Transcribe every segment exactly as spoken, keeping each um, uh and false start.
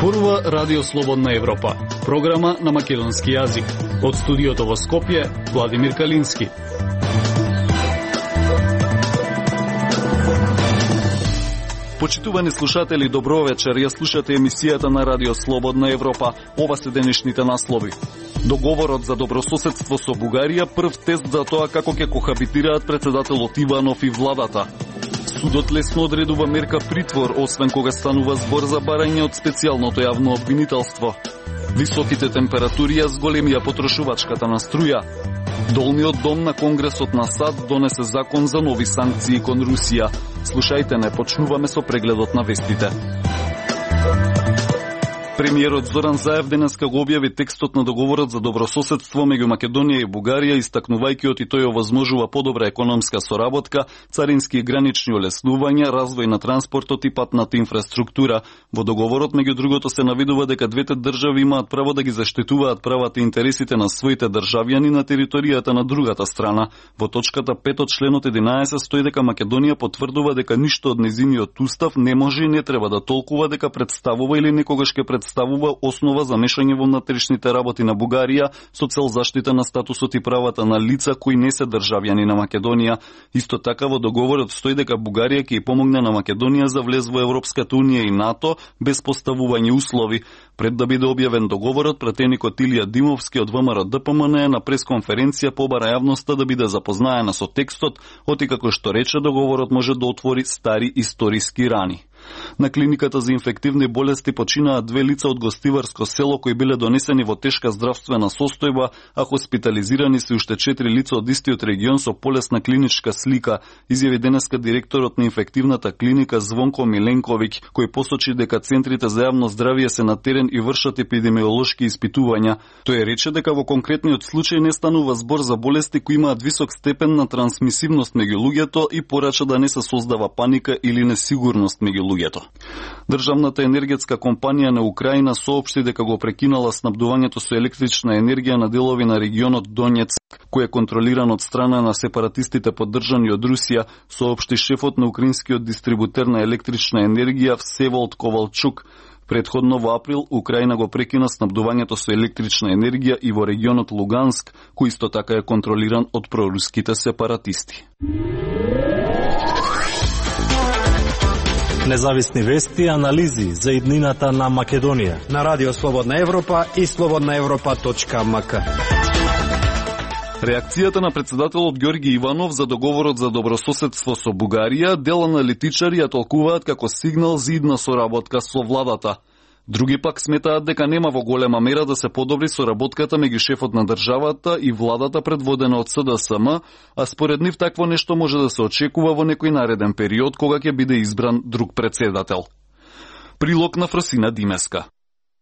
зборува Радио Слободна Европа, програма на македонски јазик. Од студиото во Скопје, Владимир Калински. Почитувани слушатели, добро вечер. Ја слушате емисијата на Радио Слободна Европа. Ова се денешните наслови. Договорот за добрососедство со Бугарија, прв тест за тоа како ќе кохабитираат председателот Иванов и владата. Судот лесно одредува мерка притвор, освен кога станува збор за барање од специјалното јавно обвинителство. Високите температури ја зголемија потрошувачката на струја. Долниот дом на Конгресот на САД донесе закон за нови санкции кон Русија. Слушајте, не почнуваме со прегледот на вестите. Премиерот Зоран Заев денеска го објави текстот на договорот за добрососедство меѓу Македонија и Бугарија, истакнувајќи оти тој овозможува подобра економска соработка, царински и гранични олеснувања, развој на транспортот и патната инфраструктура. Во договорот меѓу другото се наведува дека двете држави имаат право да ги заштитуваат правата и интересите на своите државјани на територијата на другата страна. Во точката пет од членот единаесет стои дека Македонија потврдува дека ништо од нејзиниот устав не може и не треба да толкува дека представува или некогаш ќе представува ставува основа за мешање во внатрешните работи на Бугарија со цел заштита на статусот и правата на лица кои не се државјани на Македонија. Исто така во договорот стои дека Бугарија ќе ја помогне на Македонија за влез во Европската унија и НАТО без поставување услови. Пред да биде објавен договорот, пратеникот Илија Димовски од ВМРО Д П М Н на пресконференција побара јавноста да биде запознаена со текстот, оти како што рече договорот може да отвори стари историски рани. На клиниката за инфективни болести починаат две лица од гостиварско село кои биле донесени во тешка здравствена состојба, а хоспитализирани се уште четири лица од истиот регион со полесна клиничка слика, изјави денеска директорот на инфективната клиника Звонко Миленковиќ, кој посочи дека центрите за јавно здравје се на терен и вршат епидемиолошки испитувања. Тој рече дека во конкретниот случај не станува збор за болести кои имаат висок степен на трансмисивност меѓу луѓето и порача да не се создава паника или несигурност меѓу луѓето. Државната енергетска компанија на Украина соопшти дека го прекинала снабдувањето со електрична енергија на делови на регионот Донецк, кој е контролиран од страна на сепаратистите поддржани од Русија, соопшти шефот на украинскиот дистрибутер на електрична енергија Всеволод Ковалчук. Предходно во април Украина го прекина снабдувањето со електрична енергија и во регионот Луганск, кој исто така е контролиран од проруските сепаратисти. Независни вести и анализи за иднината на Македонија на Радио Слободна Европа и слободна европа точка м к. Реакцијата на председателот Ѓорги Иванов за договорот за добрососедство со Бугарија дел аналитичари ја толкуваат како сигнал за идна соработка со владата. Други пак сметаат дека нема во голема мера да се подобри соработката меѓу шефот на државата и владата предводена од С Д С М, а според нив такво нешто може да се очекува во некој нареден период кога ќе биде избран друг председател. Прилог на Фросина Димеска.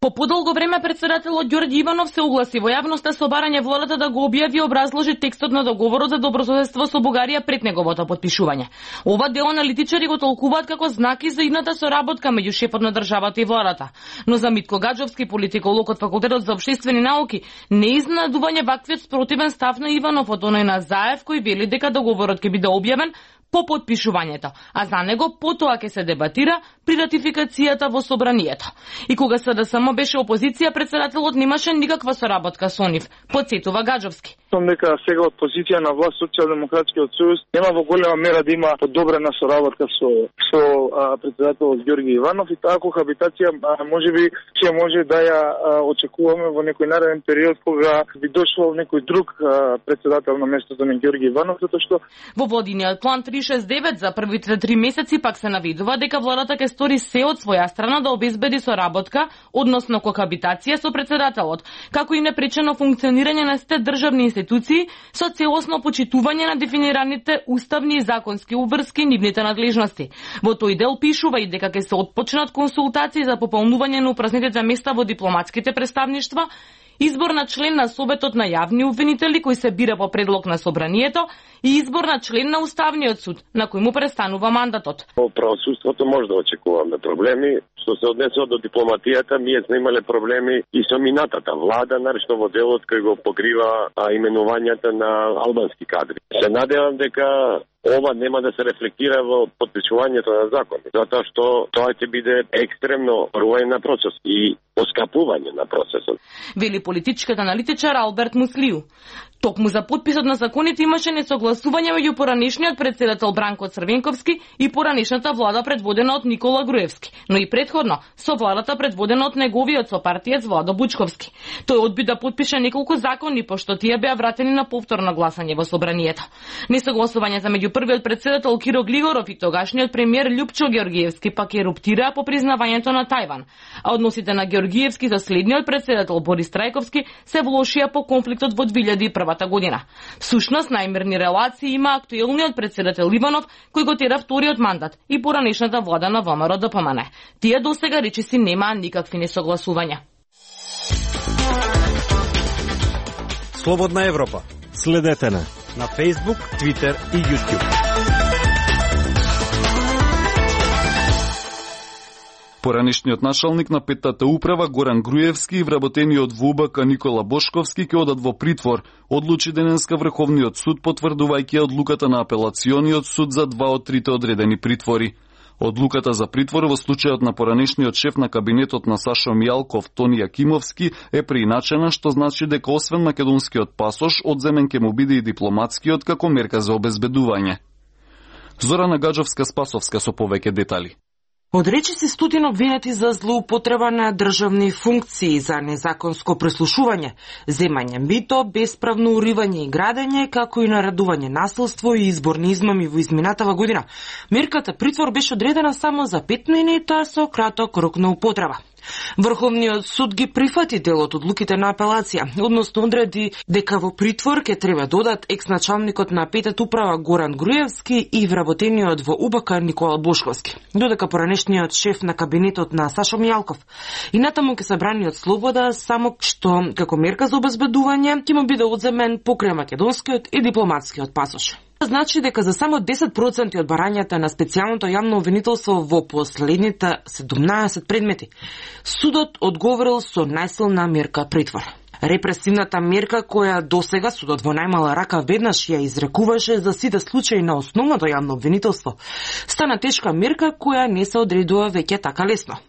По подолго време председателот Ѓорги Иванов се огласи во јавноста со барање владата да го објави и образложи текстот на договорот за добрососедство со Бугарија пред неговото потпишување. Ова дел аналитичари го толкуваат како знаки за идната соработка меѓу шефот на државата и владата. Но за Митко Гаджовски, политиколог од Факултетот за општествени науки, не е изненадување ваквиот спротивен став на Иванов од оној на Заев кој вели дека договорот ќе биде објавен по подпишувањето, а за него потоа ќе се дебатира при ратификацијата во собранието. И кога С Д С М беше опозиција, председателот немаше никаква соработка со нив, потсетува Гаджовски. Сум дека сега од позиција на власт Социјалдемократскиот сојуз нема во голема мера да има подобрена соработка со со а, председателот Ѓорги Иванов и таа кохабитација можеби ќе може да ја а, очекуваме во некој нареден период кога би дошол некој друг а, председател на местото на Ѓорги Иванов, затоа што во владиниот план три шест девет за првите три месеци пак се навидува дека владата ќе стори се од своја страна да обезбеди соработка, односно кохабитација со председателот, како и непречено функционирање на сите државни институции со целосно почитување на дефинираните уставни и законски обврски нивните надлежности. Во тој дел пишува и дека ќе се отпочнат консултации за пополнување на упразнетите места во дипломатските представништва, избор на член на Советот на јавни обвинители кој се бира по предлог на собранието и избор на член на Уставниот суд, на кој му престанува мандатот. Во правосудството може да очекуваме проблеми Што се однесува до дипломатијата, ние сме имале проблеми и со минатата влада, наречно во делот кој го покрива а, именувањата на албански кадри. Се надевам дека ова нема да се рефлектира во подпишувањето на закони, затоа што тоа ќе биде екстремно руање на процес и поскапување на процесот. Вели политичката аналитичар Алберт Муслиу. Токму за подписот на законите имаше несогласување меѓу поранешниот председател Бранко Црвенковски и поранешната влада предводена од Никола Груевски, но и претходно со владата предводена од неговиот сопартиец Владо Бучковски. Тој одби да подпише неколку закони, пошто тие беа вратени на повторно гласање во собранието. Несогласувањата меѓу првиот председател Киро Глигоров и тогашниот премиер Љупчо Георгиевски пак еруптираа по признавањето на Тајван, а односите на Георгиевски со следниот председател Борис Трајковски се влошија по конфликтот во две илјади и прва година. Всушност, најмирни релации има актуелниот председател Иванов, кој го тера вториот мандат и поранешната влада на ВМРО Д П М Н. Тие досега речиси немаа никакви несогласувања. Слободна Европа. Следете на на Facebook, Twitter и YouTube. Поранешниот началник на петтата управа Горан Груевски и вработениот во У Б К Никола Бошковски ќе одат во притвор, одлучи денеска Врховниот суд потврдувајќи одлуката на апелациониот суд за два од трите одредени притвори. Одлуката за притвор во случајот на поранешниот шеф на кабинетот на Сашо Мијалков Тони Јакимовски е прииначена, што значи дека освен македонскиот пасош, одземен ќе му биде и дипломатскиот како мерка за обезбедување. Зорана Гаджовска-Спасовска со повеќе детали. Одречи се стотин обвинети за злоупотреба на државни функции, за незаконско преслушување, земање мито, бесправно уривање и градење, како и наредување насилство и изборни измами во изминатава година. Мерката притвор беше одредена само за пет минута со краток рок на употреба. Врховниот суд ги прифати дел од одлуките на апелација, односно одреди дека во притвор ќе треба додат екс-началникот на петата управа Горан Груевски и вработениот во У Б К Никола Бошковски, додека поранешниот шеф на кабинетот на Сашо Мијалков и натаму ќе се брани од слобода, само што како мерка за обезбедување ќе му биде одземен покрај македонскиот и дипломатскиот пасош. Значи дека за само десет проценти од барањата на специјалното јавно обвинителство во последните седумнаесет предмети, судот одговорил со најсилна мерка притвор. Репресивната мерка која досега судот во најмала рака веднаш ја изрекуваше за сите случаи на основното јавно обвинителство, стана тешка мерка која не се одредува веќе така лесно.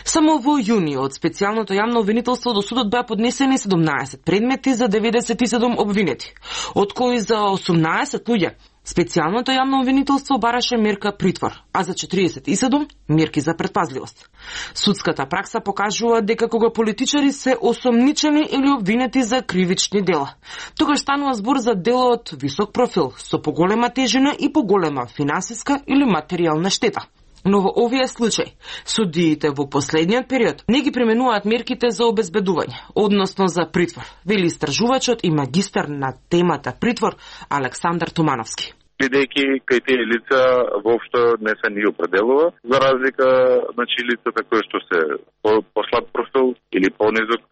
Само во јуни од специјалното јавно обвинителство до судот беа поднесени седумнаесет предмети за деветдесет и седум обвинети, од кои за осумнаесет луѓе специјалното јавно обвинителство бараше мерка притвор, а за четириесет и седум мерки за предпазливост. Судската пракса покажува дека кога политичари се осомничени или обвинети за кривични дела, тогаш станува збор за дело од висок профил, со поголема тежина и поголема финансиска или материјална штета. Но во овие случаи, судиите во последниот период не ги применуваат мерките за обезбедување, односно за притвор, вели истражувачот и магистар на темата притвор Александар Тумановски. Бидејќи кај тие лица воопшто не се ни определува, за разлика значи лицата кои што се по, по слаб профил или понизок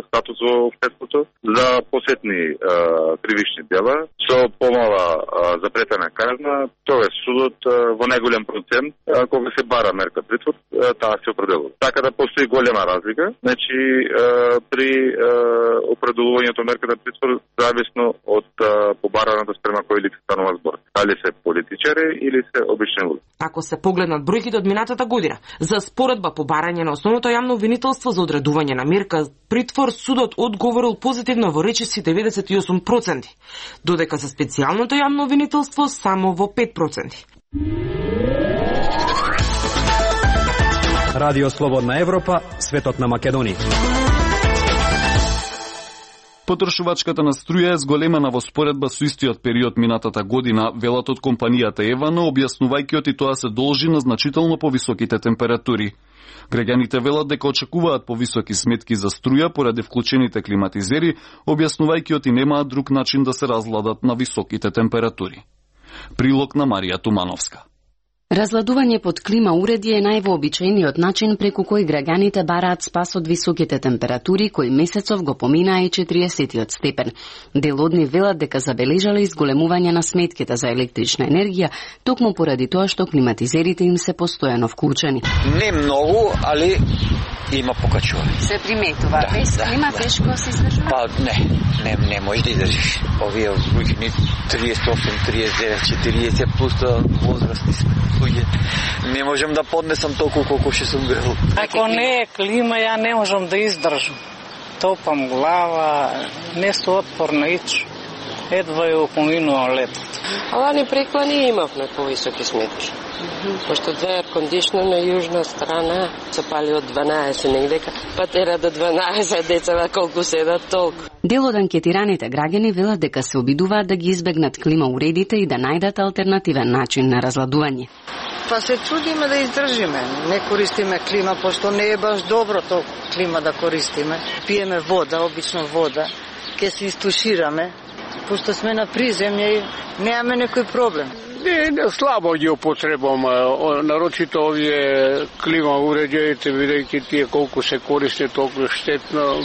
статус во општеството за посетни а, кривични дела со помала а, запретена казна, тоа е судот а, во најголем процент а, кога се бара мерка притвор, а, таа се определува. Така да постои голема разлика, значи а, при а, определувањето мерката притвор зависно од а, побараната спрема кој лице станува збор. Дали се политичари или се обични луѓе. Ако се погледнат бројките од минатата година, за споредба по барање на основното јавно обвинителство за одредување на мерка притвор, судот одговорил позитивно во речиси деветдесет и осум проценти, додека за специјалното јавно обвинителство само во пет проценти. Радио Слободна Европа, светот на Македонија. Потрошувачката на струја е зголемена во споредба со истиот период минатата година, велат од компанијата Евано, објаснувајќи оти тоа се должи на значително повисоките температури. Граѓаните велат дека очекуваат повисоки сметки за струја поради вклучените климатизери, објаснувајќи оти немаат друг начин да се разладат на високите температури. Прилог на Марија Тумановска. Разладување под клима уреди е највообичаениот начин преку кој граѓаните бараат спас од високите температури кои месецов го поминаа и четиристотиот степен. Дел од нив велат дека забележале изголемување на сметките за електрична енергија, токму поради тоа што климатизерите им се постојано вклучени. Не многу, али има покачување. Се приметува, да, без клима да, тешко се издржува? Па не, не, не можеш да издржиш. Овие луѓе триесет и осум, триесет и девет, четириесет плюс возрастни сме. Не можам да поднесам толку колку што сум грел. Ако не е клима, ја не можам да издржам. Топам глава, не су отпорна ич. Едва ја поминува летот. А лани преклани имавме повисоки сметки. Mm-hmm. Пошто две еркондишно на јужна страна се пали од дванаесет негдека, па тера до дванаесет децава колку седат толку. Дел од анкетираните граѓани велат дека се обидуваат да ги избегнат клима уредите и да најдат алтернативен начин на разладување. Па се трудиме да издржиме. Не користиме клима, пошто не е баш добро толку клима да користиме. Пиеме вода, обично вода, ке се истушираме, пошто сме на приземје и немаме некој проблем. Не, не слабо ги употребам, нарочито овие клима уреđаите, бидејќи тие колку се користи, толку штетно,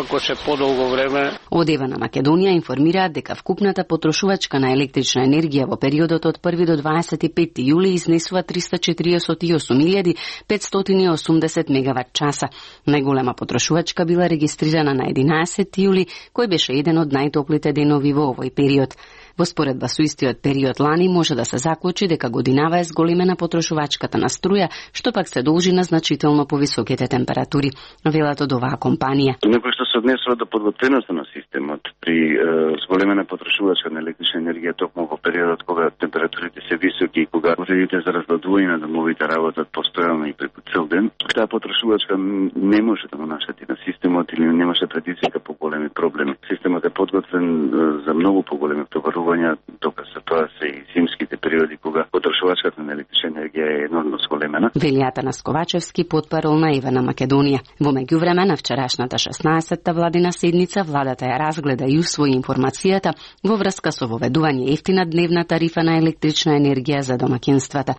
ако се подолго време. Од Ева на Македонија информираат дека вкупната потрошувачка на електрична енергија во периодот од први до дваесет и петти јули изнесува триста четириесет и осум илјади петстотини и осумдесет мегават часа. Најголема потрошувачка била регистрирана на единаесетти јули, кој беше еден од најтоплите денови во овој период. Во споредба со истиот период лани може да се заклучи дека годинава е зголемена потрошувачката на струја, што пак се должи на значително повисоките температури, велат од оваа компанија. Некој што се однесува до подготвеноста на системот при е, зголемена потрошувачка на електрична енергија токму во периодот кога температурите се високи и кога уредите за разладување на домовите работат постојано и преку цел ден, таа потрошувачка не може да го наштети на системот или не може да предизвика поголеми проблеми. Системот е подготвен е, за многу поголеми товарувања, тока се тоа се и зимските периоди кога потрошувачката на електрична енергија е енормно зголемена. Велијата на Сковачевски, потпарол на Ева на Македонија. Во меѓувреме на вчерашната шеснаесетта владина седница владата ја разгледа и усвои информацијата во врска со воведување ефтина дневна тарифа на електрична енергија за домаќинствата.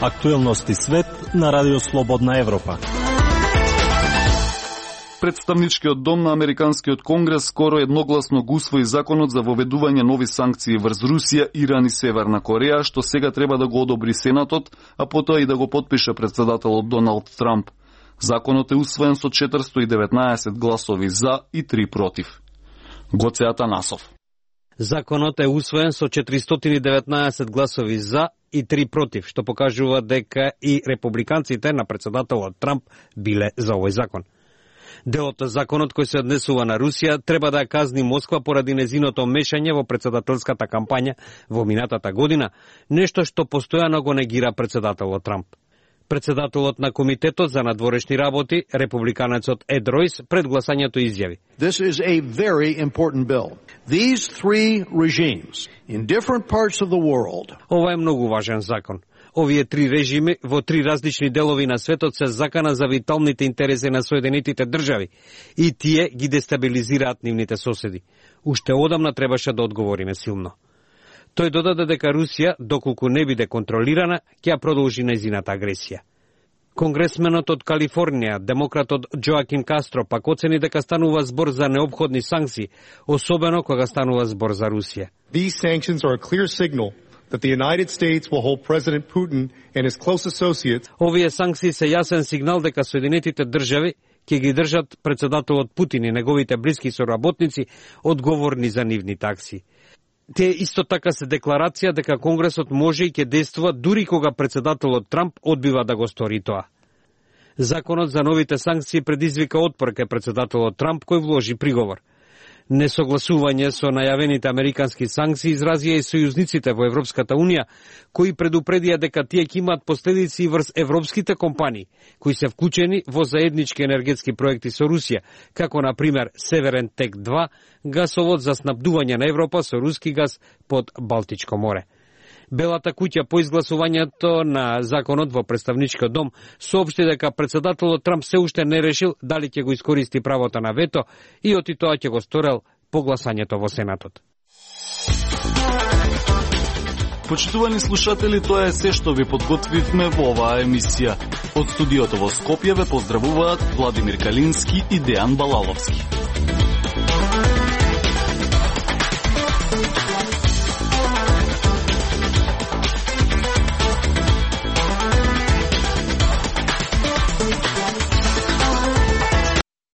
Актуелности свет на Радио Слободна Европа. Представничкиот дом на Американскиот конгрес скоро едногласно го усвои законот за воведување нови санкции врз Русија, Иран и Северна Кореја, што сега треба да го одобри Сенатот, а потоа и да го потпише претседателот Доналд Трамп. Законот е усвоен со четиристотини и деветнаесет гласови за и три против. Гоце Атанасов. Законот е усвоен со четиристотини и деветнаесет гласови за и три против, што покажува дека и републиканците на претседателот Трамп биле за овој закон. Делот од законот кој се однесува на Русија треба да ја казни Москва поради незиното мешање во претседателската кампања во минатата година, нешто што постојано го негира претседателот Трамп. Председателот на Комитетот за надворешни работи, републиканецот Ед Ройс, пред гласањето изјави: This is a very important bill. These three regimes in different parts of the world. Ова е многу важен закон. Овие три режими во три различни делови на светот се закана за виталните интереси на Соединетите држави и тие ги дестабилизираат нивните соседи. Уште одамна требаше да одговориме силно. Тој додаде дека Русија, доколку не биде контролирана, ќе ја продолжи нејзината агресија. Конгресменот од Калифорнија, демократот Джоакин Кастро, пак оцени дека станува збор за неопходни санкции, особено кога станува збор за Русија. These sanctions are a clear signal that the United States will hold President Putin and his close associates. Овие санкции се јасен сигнал дека Соединетите држави ќе ги држат претседателот Путин и неговите блиски соработници одговорни за нивните акции. Те исто така се декларација дека Конгресот може и ќе действува дури кога претседателот Трамп одбива да го стори тоа. Законот за новите санкции предизвика отпор кај претседателот Трамп, кој вложи приговор. Несогласување со најавените американски санкции изразија и сојузниците во Европската Унија, кои предупредија дека тие ќе имаат последици врз европските компании, кои се вклучени во заеднички енергетски проекти со Русија, како на пример Северен Тек два, гасовод за снабдување на Европа со руски газ под Балтичко море. Белата куќа по изгласувањето на законот во представничкиот дом соопшти дека претседателот Трамп се уште не решил дали ќе го искористи правото на вето и оти тоа ќе го сторел по гласањето во Сенатот. Почитувани слушатели, тоа е се што ви подготвивме во оваа емисија. Од студиото во Скопје ве поздравуваат Владимир Калински и Дејан Балаловски.